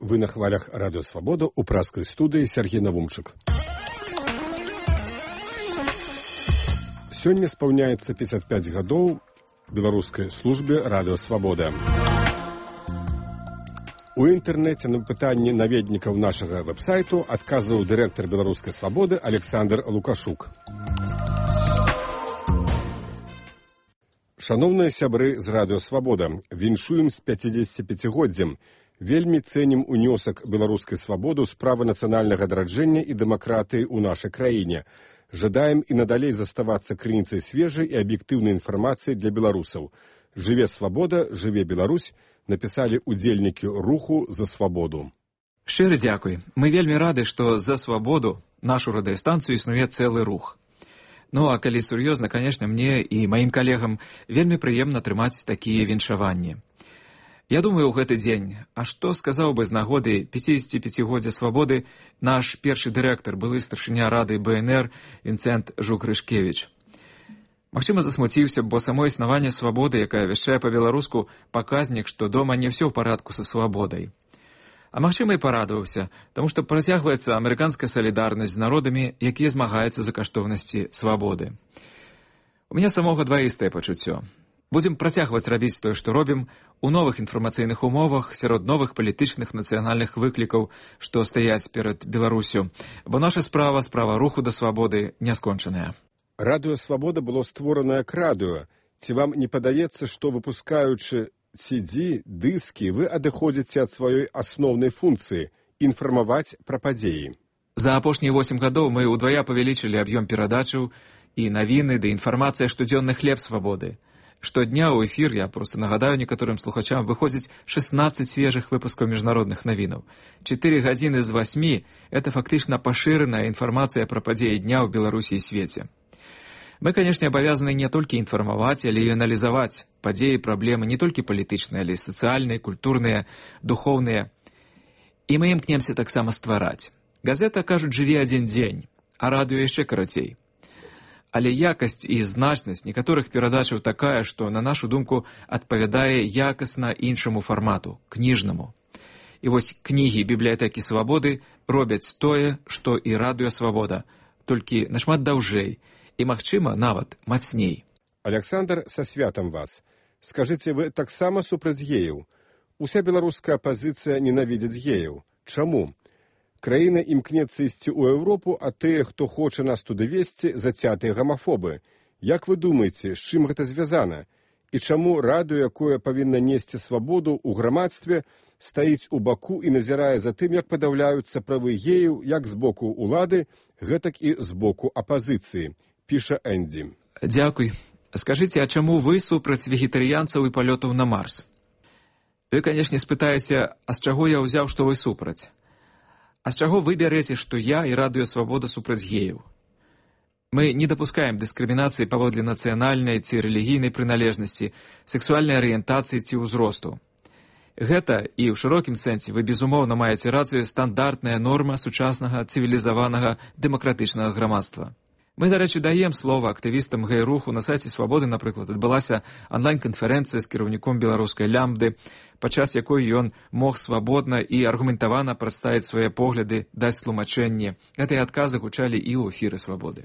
Вы на хвалях Радио Свобода у пражской студии Сергей Навумчык. Сегодня исполняется 55 годов белорусской службе Радио Свобода. У інтэрнэце на пытанні наведнікаў нашага вэб-сайту адказваў дырэктар Беларускай Свабоды Александр Лукашук. Шановныя сябры з Радыё Свабода, віншуем з 55-годдзям. Вельмі цэнім унёсак беларускай свабоды ў справы нацыянальнага адраджэння і дэмакратыі ў нашай краіне. Жадаем і надалей заставацца крыніцай свежай і аб'ектыўнай інфармацыі для беларусаў. Жыве свабода, жыве Беларусь, напісалі удзельнікі руху «За свабоду». Шчыры дзякуй. Мы вельмі рады, што «За свабоду» нашу радыёстанцыю існуе цэлы рух. Ну, а калі сур'ёзна, канешне, мне і маім калегам вельмі прыемна трымаць такія віншаванні. Я думаю, у гэты дзень, а што сказаў бы з нагоды 55-годдзя свабоды наш першы дырэктар, былы старшыня рады БНР Вінцэнт Жук-Рышкевіч. Магчыма, засмуціўся, бо само існаванне свабоды, якая вяшчае па-беларуску, паказнік, што дома не ўсё ў парадку са свабодай. А магчыма, і парадаваўся, таму што працягваецца амерыканская салідарнасць з народамі, якія змагаюцца за каштоўнасці свабоды. У мяне самога дваістае пачуццё. Будзем працягваць рабіць тое, што робім, у новых інфармацыйных умовах, сярод новых палітычных нацыянальных выклікаў, што стаяць перад Беларусю, бо наша справа руху да свабоды не скончаная. Радыё Свабода было створана як радыё. Ці вам не падаецца, што выпускаючы CD, дыскі, вы адыходзіце ад сваёй асноўнай функцыі – інфармаваць пра падзеі? За апошнія 8 гадоў мы ўдвая павялічылі аб'ём перадачаў і навіны ды інфармацыя штодзённы хлеб свабоды. Штодня ў эфір, я проста нагадаю некаторым слухачам, выходзіць 16 свежых выпускаў міжнародных навінаў. 4 гадзіны з 8 – это фактычна пашыраная інфармацыя пра падзеі дня ў Беларусі і свеце. Мы, канешне, абавязаны не толькі інфармаваць, але і аналізаваць падзеі, праблемы не толькі палітычныя, але і сацыяльныя, культурныя, духоўныя. І мы імкнемся таксама ствараць. Газета, кажуць, жыве адзін дзень, а радыё яшчэ карацей. Але якасць і значнасць некаторых перадачаў такая, што, на нашу думку, адпавядае якасна іншаму фармату, кніжнаму. І вось кнігі бібліятэкі свабоды робяць тое, што і Радыё Свабода, толькі нашмат даўжэй і, магчыма, нават мацней. Александр, са святам вас. Скажыце, вы таксама супраць геяў? Уся беларуская апазіцыя ненавідзіць геяў. Чаму? Краіна імкнецца ісці ў Еўропу, а тыя, хто хоча нас туды весці, зацятыя гамафобы. Як вы думаеце, з чым гэта звязана? І чаму радыё, якое павінна несці свабоду ў грамадстве, стаіць у баку і назірае за тым, як падаўляюцца правы геяў як з боку ўлады, гэтак і з боку апазіцыі, піша Энді. Дзякуй. Скажыце, а чаму вы супраць вегетарыянцаў і палётаў на Марс? Вы, канешне, спытаеце, а з чаго я ўзяў, што вы супраць? А з чаго вы бярэце, што я і Радыё Свабода супраць геяў? Мы не дапускаем дыскрымінацыі паводле нацыянальнай ці рэлігійнай прыналежнасці, сексуальнай арыентацыі ці ўзросту. Гэта, і ў шырокім сэнсе вы безумоўна маеце рацыю, стандартная норма сучаснага цывілізаванага дэмакратычнага грамадства. Мы, дарэчы, даем слова актывістам гэй-руху. На сайце Свабоды, напрыклад, адбылася онлайн-канферэнцыя з кіраўніком беларускай лямбды, падчас якой ён мог свабодна і аргументавана прадставіць свае погляды, даць тлумачэнне. Гэтыя адказы гучалі і ў эфіры Свабоды.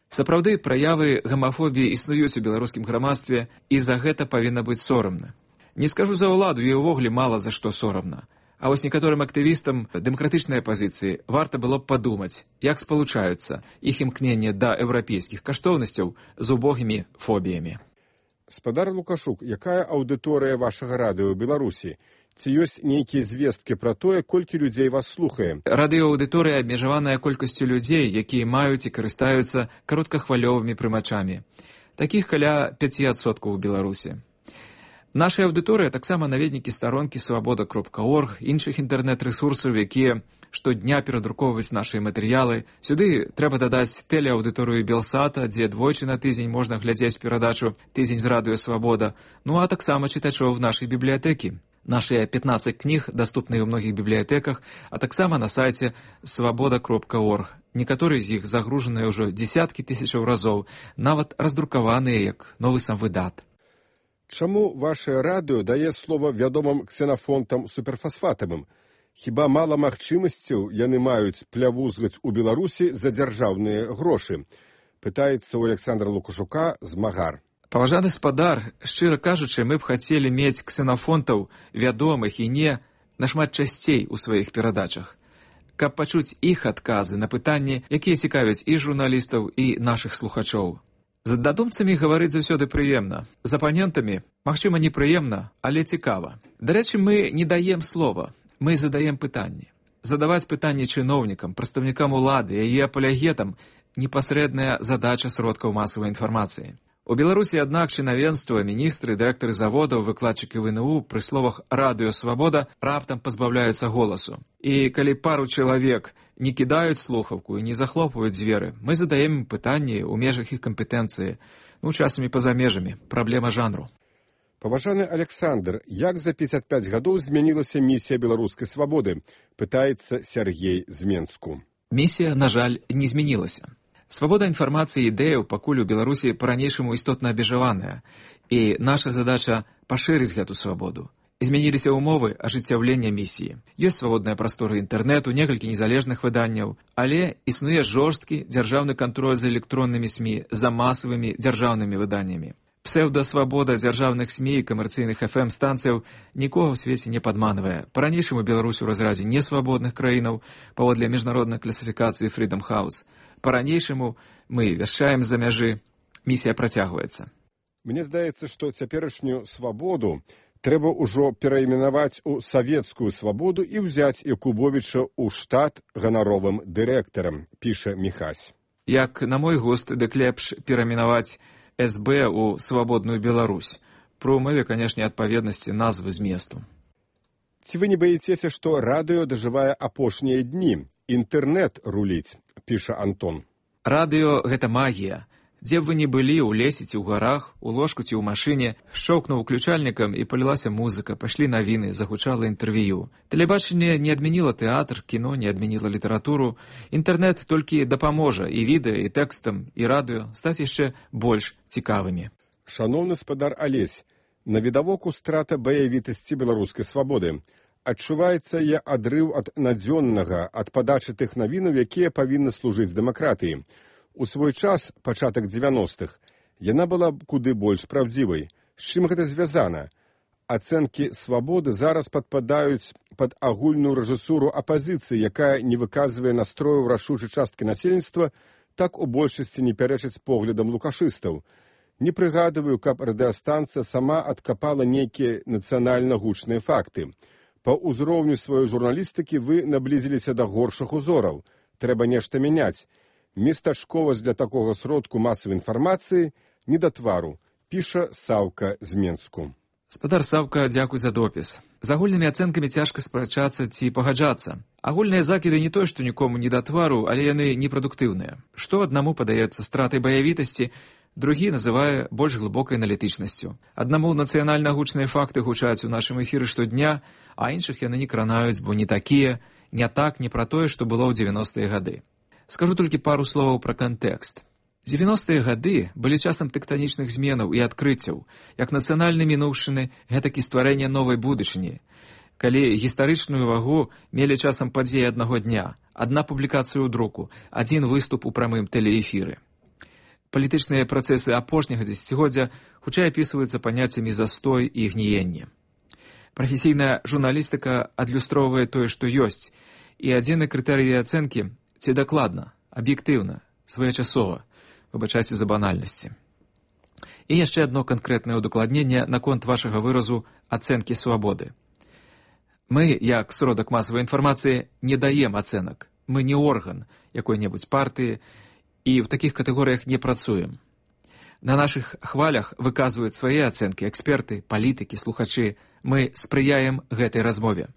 Сапраўды, праявы гамафобіі існуюць у беларускім грамадстве, і за гэта павінна быць сорамна. Не скажу за ўладу, ёй увогуле мала за што сорамна. А вось некаторым актывістам дэмакратычнай апазіцыі варта было б падумаць, як спалучаюцца іх імкненне да еўрапейскіх каштоўнасцяў з убогімі фобіямі. Спадар Лукашук, якая аўдыторыя вашага радыё ў Беларусі? Ці ёсць нейкія звесткі пра тое, колькі людзей вас слухае? Радыёаўдыторыя абмежаваная колькасцю людзей, якія маюць і карыстаюцца кароткахвалёвымі прымачамі. Такіх каля 5% у Беларусі. Наша аўдыторыя таксама наведнікі старонкі свабода.орг, іншых інтэрнэт-рэсурсаў, якія штодня перадрукоўваюць нашыя матэрыялы. Сюды трэба дадаць тэлеаўдыторыю Белсата, дзе двойчы на тыдзень можна глядзець перадачу «Тыдзень з Радыё Свабода», ну а таксама чытачоў нашай бібліятэкі. Нашыя 15 кніг даступныя ў многіх бібліятэках, а таксама на сайце свабода.орг. Некаторыя з іх загружаныя ўжо дзесяткі тысячаў разоў, нават раздрукаваныя як новы самвыдат. Чаму ваше радыё дае слова вядомым ксенафонтам суперфасфатавым? Хіба мала магчымасцяў яны маюць плявузгаць у Беларусі за дзяржаўныя грошы? Пытаецца ў Александра Лукашука змагар. Паважаны спадар, шчыра кажучы, мы б хацелі мець ксенафонтаў, вядомых і не, нашмат часцей у сваіх перадачах, каб пачуць іх адказы на пытанні, якія цікавяць і журналістаў, і нашых слухачоў. З аднадумцамі гаварыць заўсёды прыемна. З апанентамі, магчыма, непрыемна, але цікава. Дарэчы, мы не даем слова, мы задаем пытанні. Задаваць пытанні чыноўнікам, прадстаўнікам улады, яе апалягетам – непасрэдная задача сродкаў масавай інфармацыі. У Беларусі, аднак, чынавенства, міністры, дырэктары заводаў, выкладчыкі ВНУ пры словах «Радыё Свабода» раптам пазбаўляюцца голасу. І калі пару чалавек не кідаюць слухаўку і не захлопваюць дзверы, мы задаем ім пытанні ў межах іх кампетэнцыі, часамі па-за межамі, праблема жанру. Паважаны Александр, як за 55 гадоў змянілася місія беларускай свабоды? Пытаецца Сергей з Менску. Місія, на жаль, не змянілася. Свабода інфармацыі і ідэяў пакуль у Беларусі па-ранейшаму істотна абмежаваная, і наша задача пашырыць гэту свабоду. Змяніліся ўмовы ажыццяўлення місіі. Ёсць свабодная прастора інтэрнэту, некалькі незалежных выданняў, але існуе жорсткі дзяржаўны кантроль за электроннымі СМІ, за масавымі дзяржаўнымі выданнямі. Псеўдасвабода дзяржаўных СМІ і камерцыйных FM-станцыяў нікога ў свеце не падманвае. Па-ранейшаму Беларусь у разразе несвабодных краінаў паводле міжнароднай класіфікацыі Freedom House. Па-ранейшаму мы вяшчаем з-за мяжы. Місія працягваецца. Мне здаецца, што цяперашнюю свабоду трэба ўжо перайменаваць у савецкую свабоду і ўзяць Якубовіча ў штат ганаровым дырэктарам, піша Міхась. Як на мой густ, дык лепш перайменаваць СБ у свабодную Беларусь. Пры ўмове, канешне, адпаведнасці назвы зместу. Ці вы не баіцеся, што радыё дажывае апошнія дні? Інтэрнэт руліць, піша Антон. Радыё – гэта магія. Дзе б вы не былі, у лесе ці ў гарах, у ложку ці ў машыне, шчоўкнуў уключальнікам і палілася музыка, пайшлі навіны, загучала інтэрв'ю. Тэлебачанне не адмяніла тэатр, кіно не адмяніла літаратуру. Інтэрнэт толькі дапаможа і відэа, і тэкстам, і радыё стаць яшчэ больш цікавымі. Шаноўны спадар Алесь, навідавоку страта баявітасці беларускай свабоды. Адчуваецца я адрыў ад надзённага, ад падачы тых навінаў, якія павінны служыць дэмакратыі. У свой час, пачатак 90-х, яна была куды больш праўдзівай. З чым гэта звязана? Ацэнкі свабоды зараз падпадаюць пад агульную рэжысуру апазіцыі, якая не выказвае настрою ў рашучай часткі насельніцтва, так у большасці не пярэчыць поглядам лукашыстаў. Не прыгадываю, каб радыёстанцыя сама адкапала нейкія нацыянальна гучныя факты. Па ўзроўню сваёй журналістыкі вы наблізіліся да горшых узораў. Трэба нешта мяняць. Местачковасць для такога сродку масавай інфармацыі не да твару, піша Саўка з Менску. Спадар Саўка, дзякуй за допіс. З агульнымі ацэнкамі цяжка спрачацца ці пагаджацца. Агульныя закіды не тое, што нікому не да твару, але яны непрадуктыўныя. Што аднаму падаецца стратай баявітасці, другі называе больш глыбокай аналітычнасцю. Аднаму нацыянальна гучныя факты гучаць у нашым эфіры штодня, а іншых яны не кранаюць, бо не такія, не так, не пра тое, што было ў 90-е гады. Скажу толькі пару словаў пра кантэкст. 90-е гады былі часам тэктанічных зменаў і адкрыццяў, як нацыянальнай мінуўшчыны, гэтак і стварэння новай будучыні. Калі гістарычную вагу мелі часам падзеі аднаго дня, адна публікацыя ў друку, адзін выступ у прамым тэлеэфіры. Палітычныя працэсы апошняга дзесяцігоддзя хутчэй апісваюцца паняццямі застой і гніенне. Прафесійная журналістыка адлюстроўвае тое, што ёсць, і адзіны крытэрый ацэнкі – ці дакладна, аб'ектыўна, своечасова, выбачайце за банальнасці. І яшчэ адно канкрэтнае ўдакладненне наконт вашага выразу ацэнкі свабоды. Мы, як сродак масавай інфармацыі, не даем ацэнак. Мы не орган якой-небудзь партыі і ў такіх катэгорыях не працуем. На нашых хвалях выказваюць свае ацэнкі эксперты, палітыкі, слухачы. Мы спрыяем гэтай размове.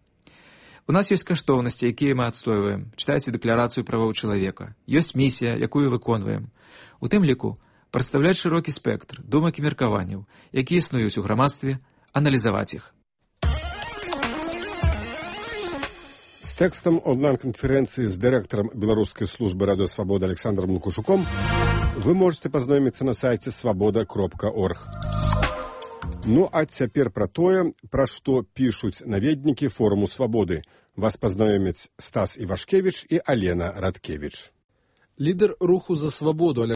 У нас ёсць каштоўнасці, якія мы адстойваем. Чытайце дэкларацыю правоў чалавека. Ёсць місія, якую выконваем. У тым ліку прадстаўляць шырокі спектр думак і меркаванняў, якія існуюць у грамадстве, аналізаваць іх. З тэкстам онлайн-канферэнцыі з дырэктарам Беларускай службы радыё Свабода Александром Лукашуком вы можете пазнаёміцца на сайце свабода.орг. Ну а цяпер пра тое, пра што пішуць наведнікі форуму свабоды. Вас пазнаёмяць Стас Івашкевіч і Алена Радкевіч. Лідер руху за свабоду